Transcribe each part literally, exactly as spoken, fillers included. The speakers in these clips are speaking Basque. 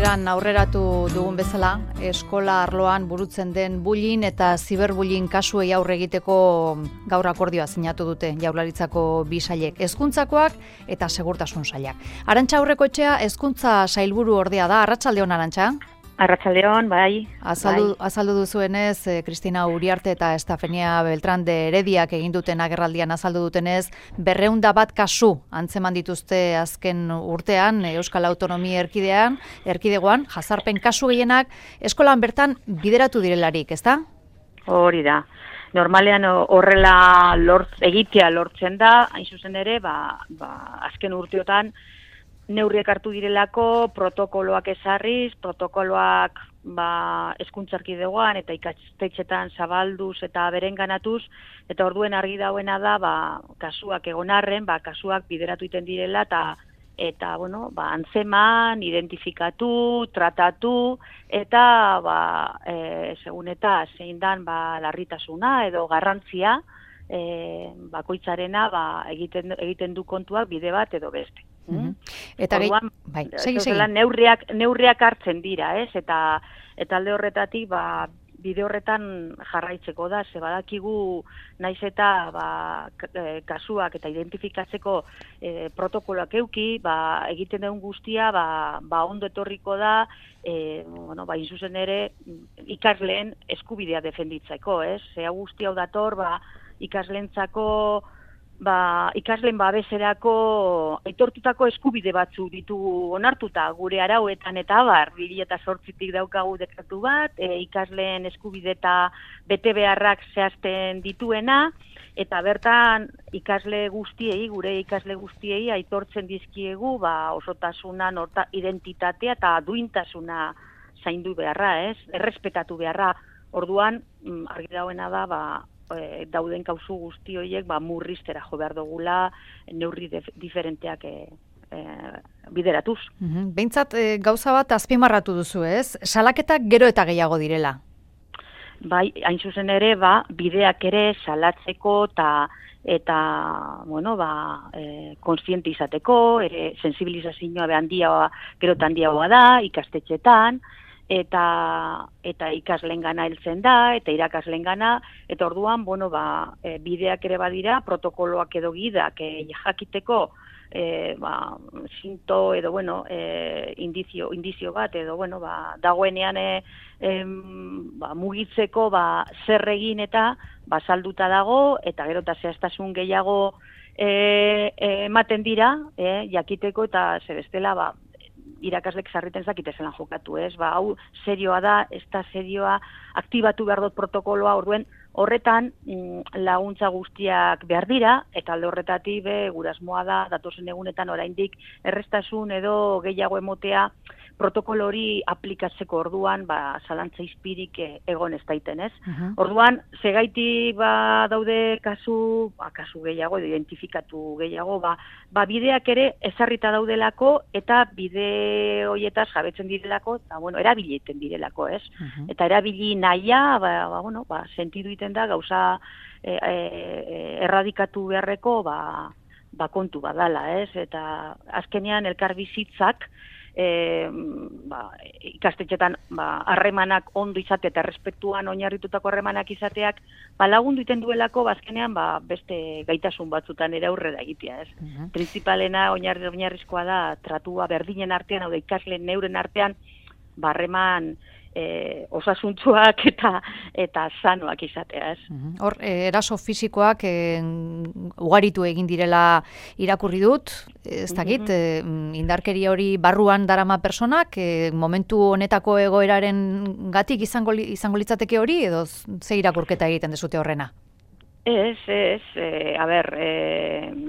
hasieran aurreratu dugun bezala, eskola arloan burutzen den bullying eta ziberbullying kasuei aurre egiteko gaur akordioa sinatu dute Jaurlaritzako bi sailek, hezkuntzakoak eta segurtasun sailak. Arantxa Aurrekoetxea hezkuntza sailburu ordea da. Arratsaldeon, Arantxa. Arratsaldeon, bai. Azaldu, bai. azaldu duzuenez, Cristina Uriarte eta Estefania Beltrán de Herediak egin duten agerraldian azaldu dutenez, berreunda bat kasu antzeman dituzte azken urtean Euskal Autonomia Erkidean, erkidegoan, jazarpen kasu gehienak eskolan bertan bideratu direlarik, ezta? Hori da. Normalean horrela lort, egitea lortzen da, hain zuzen ere, ba, ba, azken urteotan, neurriak hartu direlako, protokoloak ezarriz, protokoloak ba, hezkuntza erkidegoan eta ikastetxetan zabalduz eta berenganatuz, eta orduen argi dauena da, ba, kasuak egon arren, ba, kasuak bideratu iten direla, eta eta bueno, ba, antzeman, identifikatu, tratatu, eta ba, e, segun eta zein dan ba, larritasuna edo garrantzia e, bakoitzarena ba, egiten, egiten du kontuak bide bat edo beste. Mm-hmm. Eta Orduan, bai, segi, segi. Neurriak, neurriak hartzen dira, ez? Eta, eta alde horretatik, ba, bide horretan jarraitzeko da, ze badakigu naiz eta ba, kasuak eta identifikatzeko e, protokoloak euki, ba, egiten den guztia, ba, ba ondo etorriko da, e, bueno, ba, inzuzen ere ikasleen eskubidea defenditzeko, ez? Ze guztia hau dator, ba, ikasleentzako Ba, ikasleen babeserako aitortutako eskubide batzu ditugu onartuta gure arauetan eta abar, bi mila zortzitik daukagu dekretu bat, e, ikasleen eskubide eta bete beharrak zehazten dituena, eta bertan ikasle guztiei, gure ikasle guztiei aitortzen dizkiegu ba, osotasuna, norta, identitatea eta duintasuna zaindu beharra, ez? Errespetatu beharra. Orduan, argi dauena da, ba, E, dauden kauzu guzti horiek ba, murriztera jo behar dugula neurri def, diferenteak e, e, bideratuz. Mm-hmm. Behintzat e, gauza bat azpimarratu duzu, ez? Salaketak gero eta gehiago direla. Bai, hain zuzen ere, ba, bideak ere salatzeko eta eta, bueno, ba, e, konstiente izateko, ere sensibilizazioa be handia, gero eta handiagoa da, ikastetxetan, eta eta ikaslengana heltzen da, eta irakaslengana, eta orduan, bueno, ba, e, bideak ere badira, protokoloak edo gidak e, jakiteko e, ba, sinto edo, bueno, e, indizio, indizio bat, edo, bueno, ba, dagoenean e, e, ba, mugitzeko ba, zer egin eta ba, salduta dago, eta gero eta zehaztasun gehiago e, e, ematen dira, e, jakiteko, eta zebestela, ba, irakaslek sarriten zakite zelan jokatu, ez? Ba, hau serioa da, ez da serioa, aktibatu behar dut protokoloa, orduen horretan mm, laguntza guztiak behar dira, eta alde horretatik be, gurasmoa da, datozen egunetan oraindik errestasun edo gehiago emotea protokolo hori aplikatzeko orduan, ba, zalantza izpirik egon ez daiten, ez? Uh-huh. Orduan, zegaiti ba, daude kasu, ba, kasu gehiago, edo identifikatu gehiago, ba, ba, bideak ere ezarrita daudelako, eta bide horietaz jabetzen direlako, eta, bueno, erabiliten direlako, ez? Uh-huh. Eta erabili nahia, ba, ba, bueno, ba, sentidu iten da, gauza e, e, erradikatu beharreko, ba, ba, kontu badala, ez? Eta azkenean elkarbizitzak, E, ba, ikastetxetan ba, harremanak ondo izate eta errespetuan oinarritutako harremanak izateak ba, lagundu iten duelako bazkenean ba, beste gaitasun batzutan ere aurrera egitea, ez? Uh-huh. Principalena oinarri oinarrizkoa da tratua berdinen artean, hau da ikasleen neuren artean ba, harreman E, osasuntzuak eta eta sanoak izatea, ez? Hor, e, eraso fisikoak e, ugaritu egin direla irakurri dut, ez dakit, mm-hmm. e, indarkeria hori barruan darama personak, e, momentu honetako egoeraren gatik izango, izango litzateke hori, edo ze irakurketa egiten dezute horrena? Ez, ez, e, a ber, e,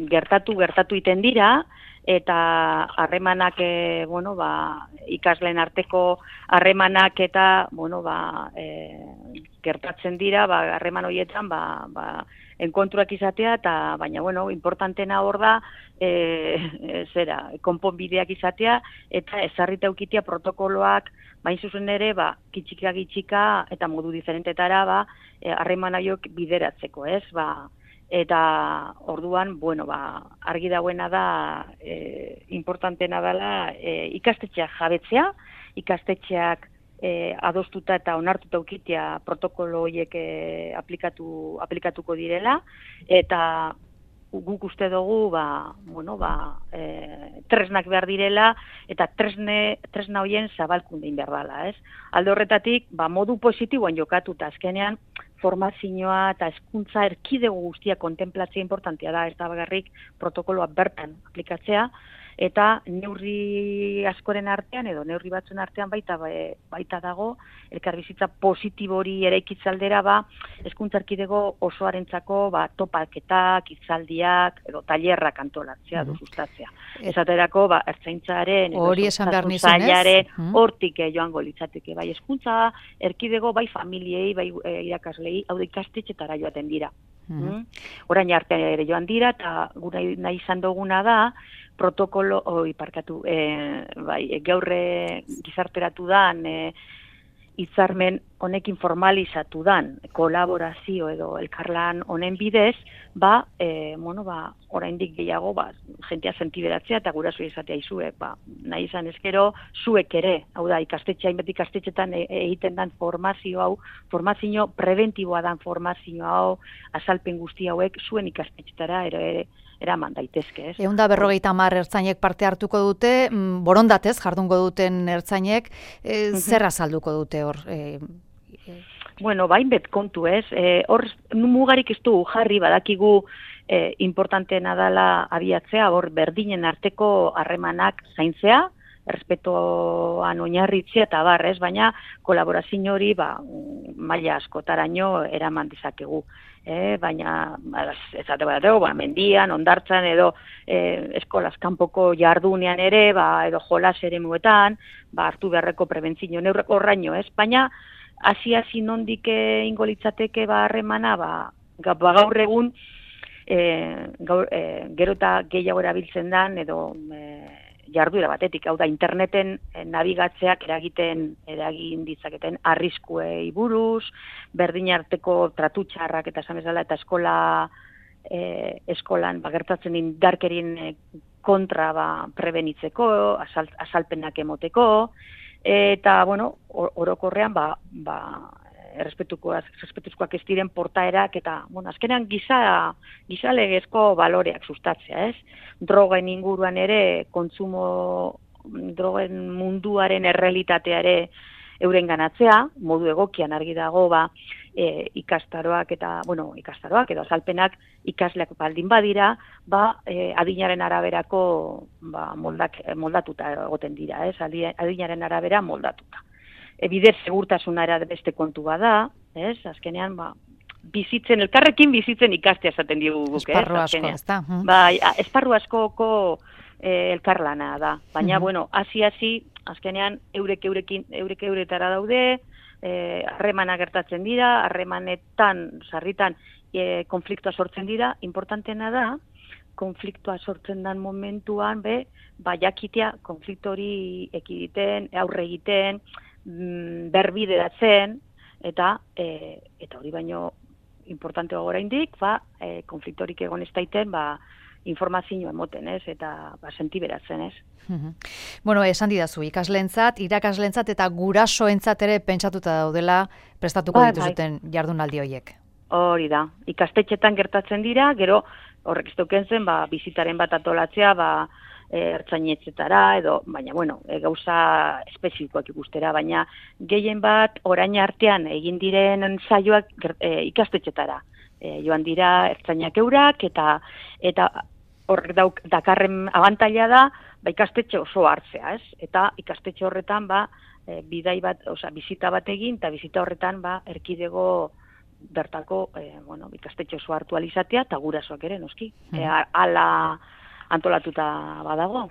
gertatu, gertatu iten dira, eta harremanak e, bueno, ba, ikasleen arteko harremanak eta bueno, ba, e, gertatzen dira, ba, harreman horietan ba, ba, enkontruak izatea, eta baina bueno, importantena hor da e, zera, konponbideak izatea eta ezarrita eukitea protokoloak bain zuzen ere, ba, kitxika gitxika eta modu diferentetara ba, harreman horiek bideratzeko, ez? Ba, eta orduan, bueno, ba, argi dagoena da, e, importantena dela e, ikastetxeak jabetzea, ikastetxeak e, adostuta eta onartuta ukitea protokolo horiek e, aplikatu, aplikatuko direla, eta guk uste dugu, ba, bueno, ba, e, tresnak behar direla, eta tresne, tresna horien zabalkundein behar dela, ez? Alde horretatik, ba, modu positiboan jokatuta, azkenean, formazioa eta hezkuntza erkidego guztia kontemplatzea importantea da, ez da bagarrik protokoloa bertan aplikatzea, eta neurri askoren artean, edo neurri batzuen artean baita, baita dago, elkarbizitza positibo hori eraikitzaldera, ba, hezkuntza erkidego osoarentzako ba, topaketak, hitzaldiak, edo tailerrak antolatzea, mm. du sustatzea. Esaterako, ba, ertzaintzaren, hori esan behar nizun, ez? Hortik joango litzateke, bai hezkuntza erkidego, bai familiei, bai e, irakaslei, hau da ikastetxetara joaten dira. Mm. Orain artean ere joan dira, eta gura nahi izan duguna da, protokolo, oi, parkatu, e, bai, gaurre gizarteratu dan, e, hitzarmen honekin formalizatu dan, kolaborazio edo elkarlan honen bidez, ba, e, bueno, ba, oraindik gehiago, ba, jentea sentiberatzea eta guraso izatea izue, ba, nahi izan ezkero, zuek ere, hau da, ikastetxe, hainbat ikastetxetan e, egiten dan formazio hau, formazio preventiboa dan formazio hau, azalpen guzti hauek, zuen ikastetxetara ere, ere, eraman daitezke, ez? Eunda berrogeita hamar ertzainek parte hartuko dute, borondatez jardungo duten ertzainek, e, zer azalduko dute hor? E, e... Bueno, bain bet kontu, ez? E, hor mugarik ez du jarri, badakigu e, importanteena dela abiatzea, hor berdinen arteko harremanak zaintzea, errespetoan oinarritzea eta barrez, baina kolaborazio hori ba, maila askotaraino eraman dezakegu. E, baina, ezate bateko, ba, mendian, ondartzan, edo e, eskolaz kanpoko jardunean ere, ba, edo jolas ere muetan, ba, hartu beharreko prebentzio neurreko horraino, ez? Baina, hasi-hasi nondik ingo litzateke ba, harremana, ba, ba, gaur egun, e, gaur, e, gero eta gehiago erabiltzen dan, edo e, jarduera batetik, hau da, interneten nabigatzeak eragiten, eragin ditzaketen arriskuei buruz, berdin arteko tratu txarrak eta esan bezala, eta eskola, eh, eskolan bagertatzen indarkerien kontra ba, prebenitzeko, asal, asalpenak emoteko, eta, bueno, orokorrean, ba, ba, errespetuzkoak ez diren portaerak, eta, bueno, azkenean giza, giza legezko baloreak sustatzea, ez? Drogen inguruan ere, kontsumo, drogen munduaren errealitatea ere euren ganatzea, modu egokian argi dago, ba, e, ikastaroak eta, bueno, ikastaroak edo azalpenak ikasleak baldin badira, ba, e, adinaren araberako ba, moldak, moldatuta egoten dira, ez? Adinaren arabera moldatuta. E, bidez segurtasuna era beste kontu bada, ez? Azkenean, ba, bizitzen, elkarrekin bizitzen ikastea esaten digu guk, ez? Esparru asko, ez da? Bai, esparru askoko e, elkarlana da. Baina, uh-huh. bueno, hasi-hasi, azkenean, eurek eurekin, eurek euretara daude, harremana e, gertatzen dira, harremanetan, sarritan, e, konfliktua sortzen dira, importantena da, konfliktua sortzen dan momentuan, be, ba, jakitea, konfliktu hori ekiditen, aurre egiten, berbideratzen, eta e, eta hori baino importante oraindik, ba, e, konfliktorik egon ez daiten, ba, informazio emoten, ez, eta ba, sentiberatzen, ez. Bueno, esan didazu, ikasleentzat, irakaslentzat eta gurasoentzat ere pentsatuta daudela prestatuko ba, dituzuten bai. Jardunaldi horiek. Hori da, ikastetxetan gertatzen dira, gero horrek ez duken zen, ba, bizitaren bat atolatzea, ba, ertzainetzetara, edo, baina, bueno, e, gauza espezifikoak ikustera, baina gehien bat orain artean egin diren saioak e, ikastetxetara. E, joan dira ertzainak eurak, eta eta horrek dauk, dakarren abantaila da, ba, ikastetxe oso hartzea, ez? Eta ikastetxe horretan, ba, e, bidai bat, osea, bizita bat egin, eta bizita horretan, ba, erkidego bertako, e, bueno, ikastetxe oso hartu alizatea, eta gurasoak ere, noski. Mm. E, ala antolatuta badago.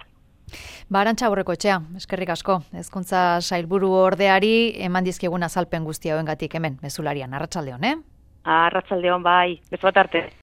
Ba, Arantxa Aurrekoetxea, eskerrik asko. Hezkuntza Sailburu ordeari eman dizkigun azalpen guzti hauengatik hemen, mezularian. Arratsaldeon, eh? Arratsaldeon, bai. Bezu bat arte.